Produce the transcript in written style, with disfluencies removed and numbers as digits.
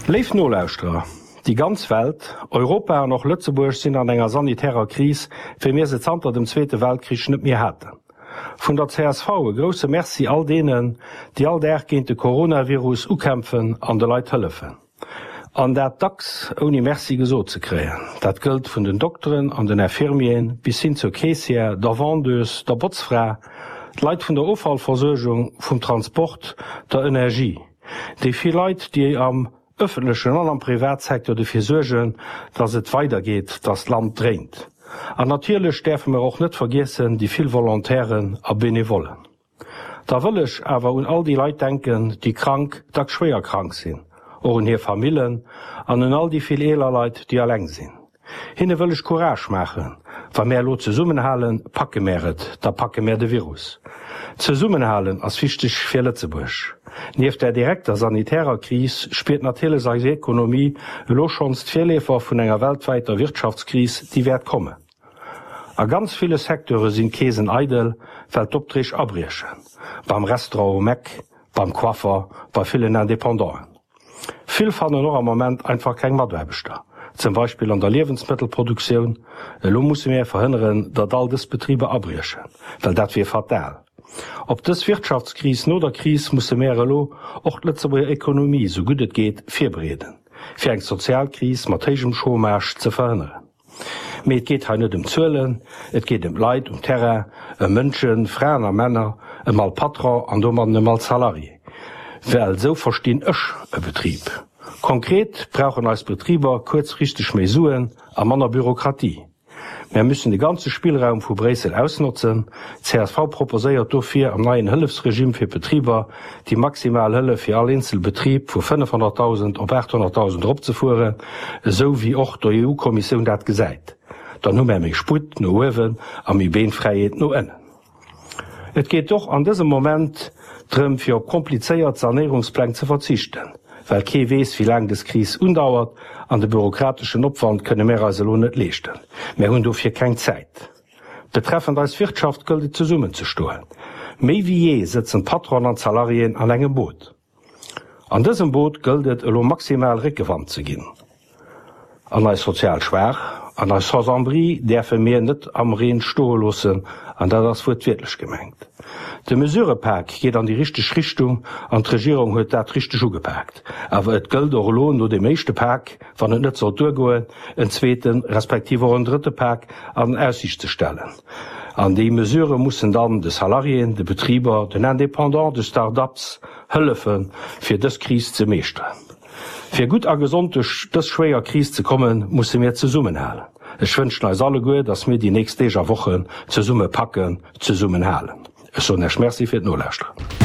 Léif Nolauschterer, déi ganz Welt, Europa an och Lëtzebuerg sinn an enger sanitärer Kris, wéi mir se zanter dem Zweete Weltkrich net méi haten. Vun der csv e grousse Merci all deenen, déi all Dag géint de Coronavirus ukämpfen an de Leit hëllefen. An dat dacks ouni Merci gesot ze kréien. Dat gëllt vun den Dokteren an den Infirmieren bis hin zur Caissière, der Vendeuse, der Botzfra, d'Leit vun der Offallversuergung, vum Transport, der Energie. Déi vill Leit, déi am ëffentlechen an am Privatsecteur dofir suergen, dass et weidergeet, dass d'Land dréint. An natierlech däerfe mer och net vergiessen déi vill Volontairen a Benevollen. Da wëll ech awer un all déi Leit denken, déi krank, dacks schwéier krank sinn, och un hir Famillen an un all déi vill eeler Leit, déi alleng sinn. Hinne wëll ech Courage maachen, Wa mär elo zesummenhalen, packe mär et, da packe mär de Virus. Zesummenhalen ass wichteg fir Lëtzebuerg. Nieft der direkter sanitärer Kris spiert natierlech eis Ekonomie elo schonns d'Virleefer vun enger weltwäiter Wirtschaftskris, déi wäert kommen. A ganz ville Secteure sinn d'Keesen eidel, well d'Opträg abriechen, beim Restaurant um Eck, beim Coiffer, bei villen Independanten. Vill fannen och am Moment einfach keng Mataarbechter, zum Beispill an der Liewensmëttelproduktioun. Elo musse mir verhënneren, datt all dës Betriber abriechen, well dat wier fatal. Op dës Wirtschaftskris no der Kris musse mär elo och d'Lëtzebuerger Ekonomie sou gutt et geet virbereeden, fir eng Sozialkris mat héijem Chômage ze verhënneren. Mee et geet hei net ëm Zuelen, et geet ëm d'Leit um Terrain, ëm Mënschen, Fraen a Männer, ëm all Patron an domadden ëm all Salarié. Well esou verstinn ech e Betrib. Konkret brauchen eis Betriber kuerzfristeg méi Suen a manner Bürokratie. Mär müssen de ganze Spillraum vu Bréissel ausnotzen. Csv proposéiert dofir am neien Hëllefsregime fir d'Betriber déi maximal Hëllef fir all eenzel Betrib vu 500.000 op 800.000 eropzefueren, esou wéi och d'EU-Kommissioun dat gesäit. Dann hu mär méi Sputt no uewen a méi Beenfräiheet no ënnen. Et geet och an dësem Moment drëm, fir op komplizéiert Sanéierungspläng ze verzichten, well kee weess, wéi laang dës Kris undauert, an de bürokrateschen Opwand kënne mär eis elo net leeschten. Mär hunn dofir keng Zäit. Betreffend eis Wirtschaft gëllt et zesummen ze stoen. Méi wéi jee sëtzen d'Patronen an d'Salariéen an engem Boot. An dësem Boot gëllt et elo maximal Réckewand ze ginn. An eis sozial Schwaach an eis Sans-abri däerfe mir net am Reen stoe loossen, an dat ass wuertwiertlech gemengt. De Mesurëpak geet an déi richteg Richtung an d'Regierung huet dat richteg ugepaakt. Awer et gëllt och elo no deem éischte Pak, wann et net sollt duergoen, en zweeten, respektiv och en drëtte Pak an Aussiicht ze stellen. An déi Mesurë mussen dann de Salariéen, de Betriber, den Indépendants, de Start-ups hëllefen, fir dës Kris ze meeschteren. Fir gutt a gesond duerch dës schwéier Kris ze kommen, musse mir zesummenhalen. Ech wënschen eis alleguer, dass mir déi nächst Deeg a Wochen zesumme packen, zesummenhalen. Ech soen Iech Merci fir d'Nolauschteren.